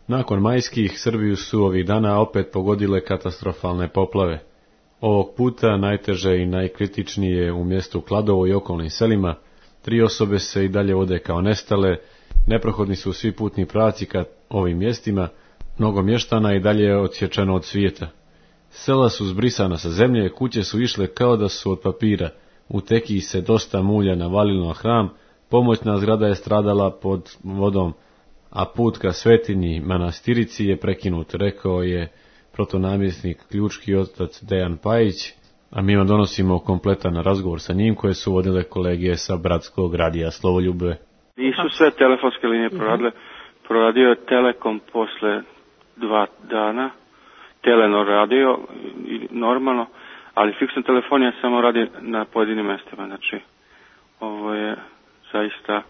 Nakon majskih, Srbiju su ovih dana opet pogodile katastrofalne poplave. Ovog puta najteže i najkritičnije u mjestu Kladovo i okolnim selima. 3 osobe se i dalje vode kao nestale, neprohodni su svi putni pravci ka ovim mjestima, mnogo mještana i dalje je odsječeno od svijeta. Sela su zbrisana sa zemlje, kuće su išle kao da su od papira, u Tekiji se dosta mulja navalilo na hram, pomoćna zgrada je stradala pod vodom, a put ka svetinji manastirici je prekinut, rekao je protonamjesnik ključki otac Dejan Pajić, a mi vam donosimo kompletan razgovor sa njim koje su vodile kolege sa Bratskog radija Slovoljube. Nisu sve telefonske linije proradile, proradio je Telekom posle 2 dana, Telenor radio normalno, ali fiksna telefonija samo radi na pojedinim mjestima, znači ovo je zaista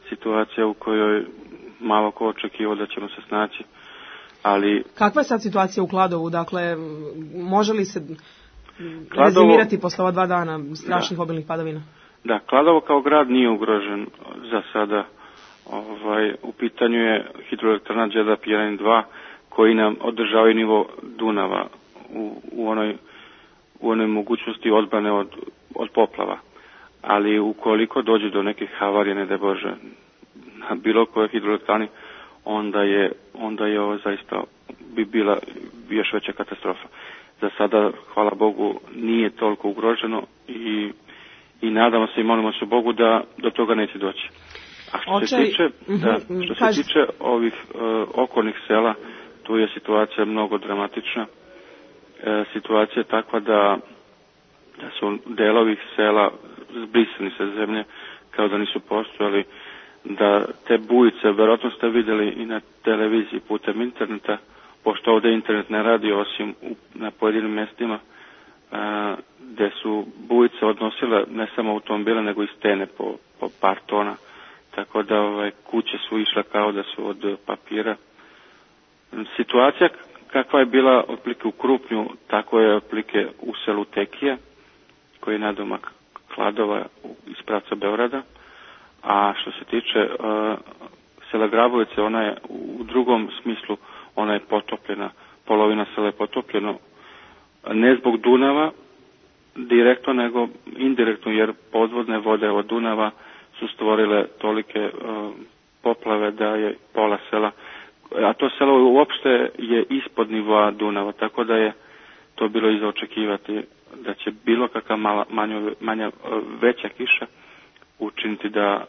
situacija u kojoj malo ko očekivao da ćemo se snaći, ali... Kakva je sad situacija u Kladovu? Dakle, može li se rezimirati posle ova 2 dana strašnih obilnih padavina? Da, Kladovo kao grad nije ugrožen za sada. U pitanju je hidroelektrana Đerdap 1 i 2 koji nam održavaju nivo Dunava u onoj mogućnosti odbrane od poplava. Ali ukoliko dođe do nekih havarija, ne daj Bože, na bilo kojoj hidroelektrani, onda je ovo zaista bi bila još veća katastrofa. Za sada, hvala Bogu, nije toliko ugroženo i nadamo se i molimo se Bogu da do toga neće doći. A što se tiče ovih okolnih sela, tu je situacija mnogo dramatična. Situacija je takva da su delovi sela zbrisani sa zemlje kao da nisu postojali, da te bujice, verovatno ste vidjeli i na televiziji putem interneta, pošto ovdje internet ne radi osim na pojedinim mjestima, gdje su bujice odnosile ne samo automobile nego i stene po par tona, tako da kuće su išle kao da su od papira. Situacija kakva je bila otprilike u Krupnju, tako je otprilike u selu Tekije, koji je nadomak Kladova iz pravca Beograda, a što se tiče sela Grabovice, ona je u drugom smislu, ona je potopljena, polovina sela je potopljeno, ne zbog Dunava direktno, nego indirektno, jer podvodne vode od Dunava su stvorile tolike poplave da je pola sela, a to selo uopšte je ispod nivoa Dunava, tako da je to bilo i za očekivati da će bilo kakva manja veća kiša učiniti da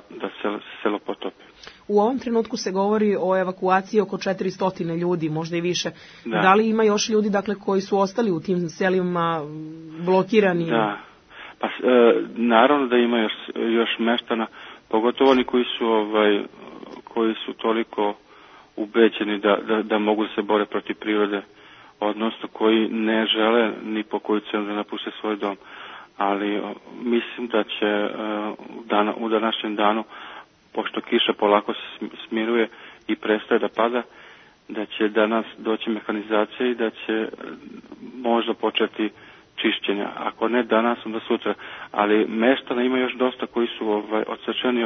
selo potopi. U ovom trenutku se govori o evakuaciji oko 400 ljudi, možda i više. Da li ima još ljudi, dakle, koji su ostali u tim selima blokirani? Da, pa naravno da ima još meštana, pogotovo oni koji su toliko ubeđeni da mogu da se bore protiv prirode, odnosno koji ne žele ni po koju cenu da napuste svoj dom. Ali mislim da će u današnjem danu, pošto kiša polako se smiruje i prestaje da pada, da će danas doći mehanizacija i da će možda početi čišćenja. Ako ne danas, onda sutra. Ali meštana ima još dosta koji su odsečeni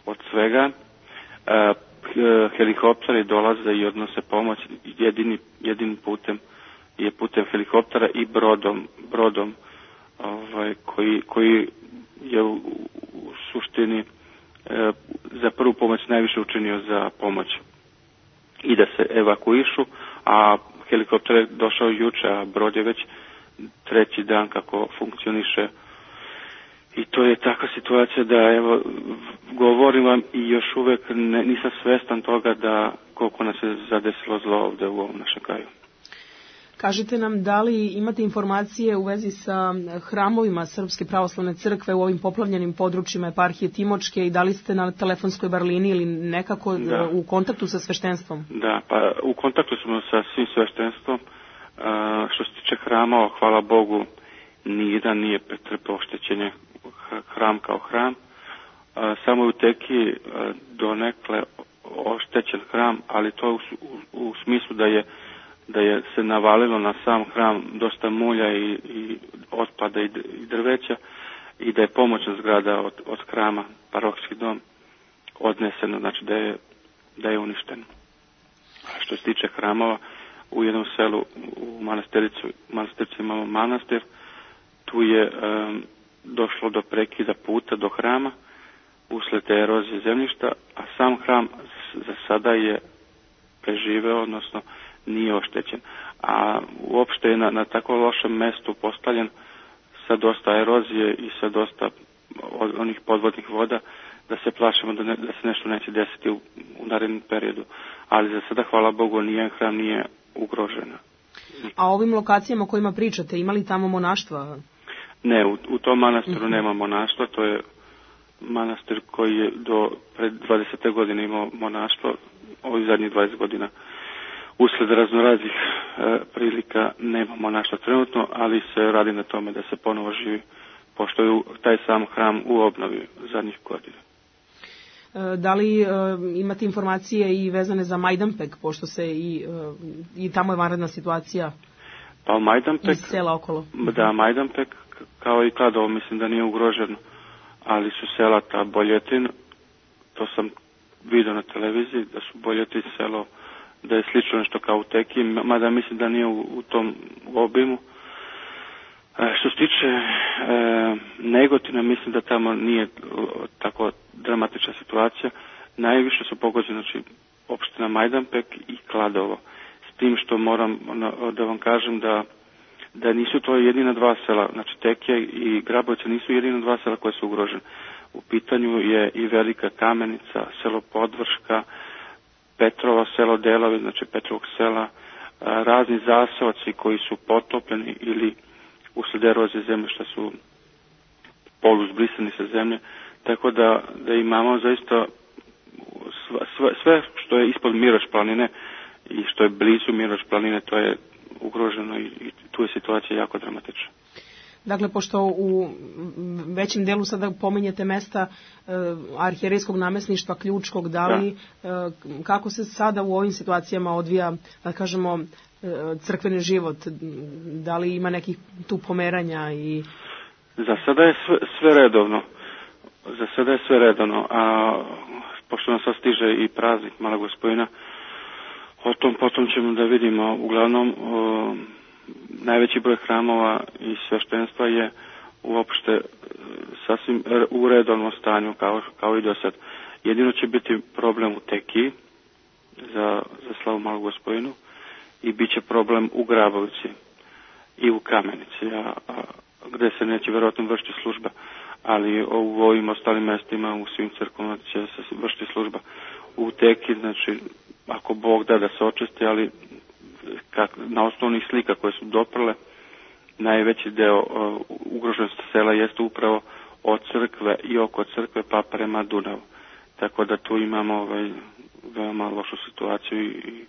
od svega. Helikopteri dolaze i odnose pomoć. Jedinim putem je putem helikoptera i brodom koji je u suštini za prvu pomoć najviše učinio za pomoć i da se evakuišu, a helikopter je došao juče, a brod je već 3. dan kako funkcioniše. I to je takva situacija da, evo, govorim vam i još uvijek nisam svestan toga da koliko nas je zadesilo zlo ovdje u ovom našem kraju. Kažite nam, da li imate informacije u vezi sa hramovima Srpske pravoslavne crkve u ovim poplavljenim područjima eparhije Timočke i da li ste na telefonskoj barlini ili nekako u kontaktu sa sveštenstvom? Da, pa u kontaktu smo sa svim sveštenstvom. Što se tiče hrama, hvala Bogu, nijedan nije pretrpeo oštećenje, hram kao hram. Samo u Tekiji donekle oštećen hram, ali to u smislu da je se navalilo na sam hram dosta mulja i otpada i drveća i da je pomoćna zgrada od hrama, parohijski dom, odneseno, znači da je uništeno. što se tiče hramova, u jednom selu u Manastirci imamo manastir, tu je došlo do prekida puta do hrama usled te erozije zemljišta, a sam hram za sada je preživeo, odnosno nije oštećen. A uopšte je na tako lošem mestu postavljen sa dosta erozije i sa dosta onih podvodnih voda, da se plašimo da se nešto neće desiti u narednom periodu. Ali za sada, hvala Bogu, hram nije ugrožen. A ovim lokacijama o kojima pričate, imali tamo monaštva? Ne, u tom manastiru nema monaštva, to je manastir koji je do pred 20. godine imao monaštvo, ovih zadnjih 20 godina. Usled raznoraznih prilika nema monaštva trenutno, ali se radi na tome da se ponovo živi, pošto je taj sam hram u obnovi zadnjih godina. Da li imate informacije i vezane za Majdanpek, pošto se i tamo je vanredna situacija? Pa Majdanpek, iz sela okolo. Da, Majdanpek kao i Kladovo mislim da nije ugroženo, ali su sela ta Boljetin, to sam vidio na televiziji, da su Boljetin selo, da je slično nešto kao u Teki, mada mislim da nije u tom obimu. Što se tiče Negotina, mislim da tamo nije tako dramatična situacija. Najviše su pogođene, znači, opština Majdanpek i Kladovo. S tim što moram da vam kažem da nisu to jedina dva sela, znači Tekija i Grabovce nisu jedina dva sela koje su ugrožene. U pitanju je i Velika Kamenica, selo Podvrška, Petrovo selo Delovi, znači Petrovog sela, razni zaseoci koji su potopljeni ili usled erozije zemljišta su poluzbrisani sa zemlje, tako da imamo zaista sve što je ispod Miroč planine i što je blizu Miroč planine, to je ugroženo i tu je situacija jako dramatična. Dakle, pošto u većem delu sada pominjete mesta arhijerejskog namesništva Ključkog, da li, kako se sada u ovim situacijama odvija, da kažemo, crkveni život? Da li ima nekih tu pomeranja? Za sada je sve redovno. A pošto nam sad stiže i praznik Malog Gospodina, potom ćemo da vidimo. Uglavnom, najveći broj hramova i sveštenstva je uopšte sasvim u redovnom stanju kao i do sad. Jedino će biti problem u Tekiji za slavu Malog Gospodinu i bit će problem u Grabovci i u Kamenici, gde se neće verovatno vršiti služba, ali u ovim ostalim mestima, u svim crkvama će se vršiti služba. U Teki, znači, ako Bog da se očisti, ali na osnovnih slika koje su doprle, najveći deo ugroženosti sela jeste upravo od crkve i oko crkve pa prema Dunavu. Tako da tu imamo veoma lošu situaciju i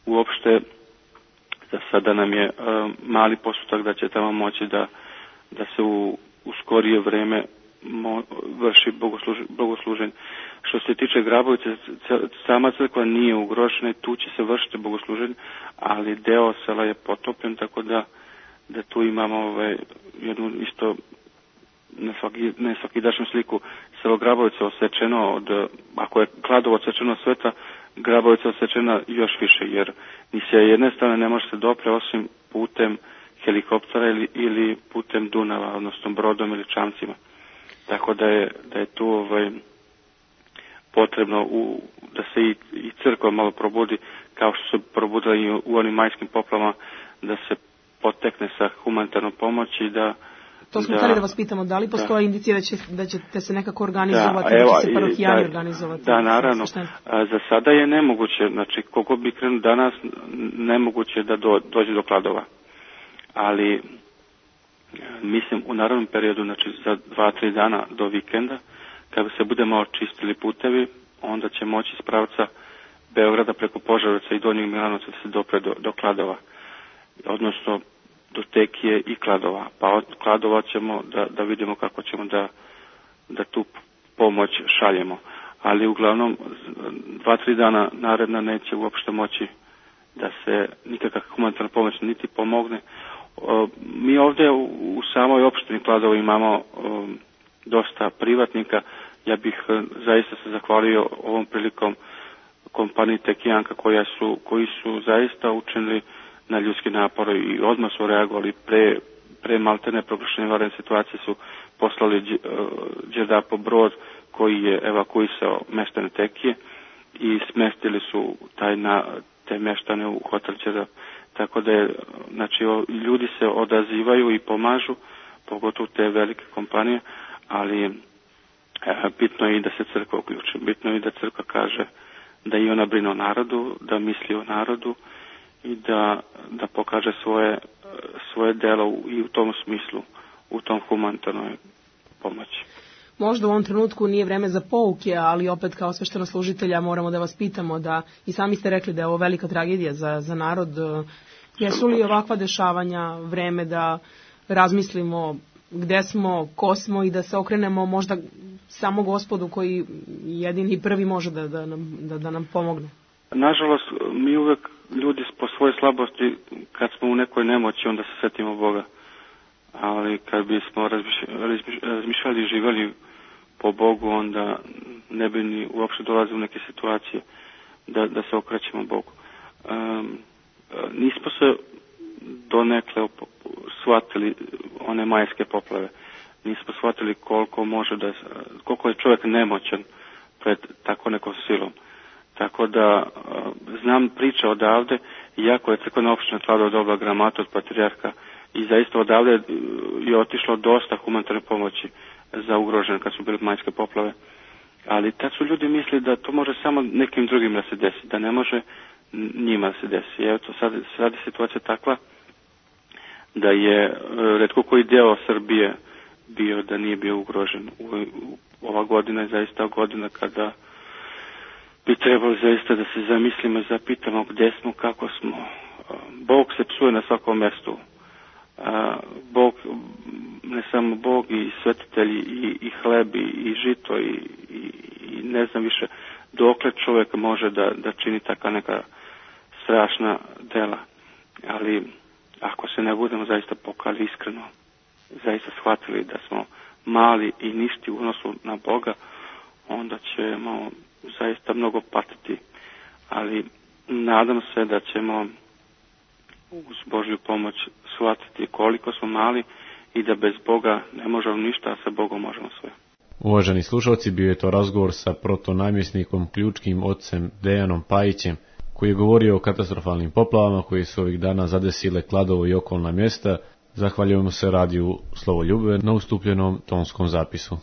uopšte za sada nam je mali postotak da će tamo moći da se u skorije vreme vrši bogosluženje. Što se tiče Grabovice, sama crkva nije ugrožena i tu će se vršiti bogosluženje, ali deo sela je potopljen, tako da tu imamo jednu isto nesvakidašnju sliku. Selo Grabovice osečeno ako je Kladovo osečeno sveta, Grabovica osečena još više, jer ni sa jedne strane ne može se dopre osim putem helikoptera ili putem Dunava, odnosno brodom ili čamcima. Tako da je tu potrebno da se i crkva malo probudi, kao što se probudila i u onim majskim poplavama, da se potekne sa humanitarnom pomoći i da... To smo htjeli da vas pitamo, da li postoje indicije da ćete se nekako organizovati, da će se parohijani organizovati? Da, naravno. Za sada je nemoguće, znači koliko bi krenuo danas, nemoguće da dođe do Kladova. Ali mislim u narednom periodu, znači za 2-3 dana do vikenda, kada se budemo očistili putevi, onda će moći iz pravca Beograda preko Požarevca i Donjeg Milanovca da se dopre do Kladova, odnosno do Tekije i Kladova. Pa od Kladova ćemo da vidimo kako ćemo da tu pomoć šaljemo. Ali uglavnom 2-3 dana naredna neće uopšte moći da se nikakva humanitarna pomoć niti pomogne. Mi ovdje u samoj opštini Kladovo imamo dosta privatnika. Ja bih zaista se zahvalio ovom prilikom kompaniji Tekijanka koji su zaista učinili na ljudski napor i odmah su reagovali pre maltene proglašenja vanredne situacije su poslali Đerdapo brod koji je evakuisao meštane Tekije i smestili su te meštane u hotel Đerdap. Tako da znači, ljudi se odazivaju i pomažu, pogotovo te velike kompanije, ali bitno je i da se crkva uključi. Bitno je i da crkva kaže da i ona brine o narodu, da misli o narodu i da pokaže svoje delo i u tom smislu, u tom humanitarnoj pomoći. Možda u ovom trenutku nije vreme za pouke, ali opet kao sveštenoslужitelja moramo da vas pitamo da, i sami ste rekli da je ovo velika tragedija za narod. Jesu li ovakva dešavanja vreme da razmislimo gde smo, ko smo i da se okrenemo možda samo Gospodu koji jedini i prvi može da nam pomogne? Nažalost, mi uvek ljudi po svojoj slabosti, kad smo u nekoj nemoći, onda se setimo Boga. Ali kad bismo razmišljali i živjeli po Bogu, onda ne bi ni uopšte dolazili u neke situacije da se okrećemo Bogu. Nismo se donekle shvatili one majske poplave. Nismo shvatili koliko je čovjek nemoćan pred tako nekom silom. Tako da znam priče odavde, iako je crkvena opština Kladovo dobila gramatu od patrijarha i zaista odavde je otišlo dosta humanitarne pomoći za ugrožene kad su bile majske poplave. Ali tad su ljudi mislili da to može samo nekim drugim da se desi, da ne može njima da se desi. Evo to sad je situacija takva da je retko koji deo Srbije bio da nije bio ugrožen. Ova godina je zaista godina kada bi trebalo zaista da se zamislimo i zapitamo gde smo, kako smo. Bog se psuje na svakom mestu. Bog, ne samo Bog i svetitelji i hleb i žito i ne znam više dokle čovjek može da čini taka neka strašna dela. Ali ako se ne budemo zaista pokali iskreno, zaista shvatili da smo mali i ništi u odnosu na Boga, onda ćemo zaista mnogo patiti. Ali nadam se da ćemo uz Božju pomoć shvatiti koliko smo mali i da bez Boga ne možemo ništa, a sa Bogom možemo sve. Uvaženi slušalci, bio je to razgovor sa protonamjesnikom ključkim ocem Dejanom Pajićem, koji je govorio o katastrofalnim poplavama koji su ovih dana zadesile Kladovo i okolna mjesta. Zahvaljujemo se radiju Slovo Ljubve na ustupljenom tonskom zapisu.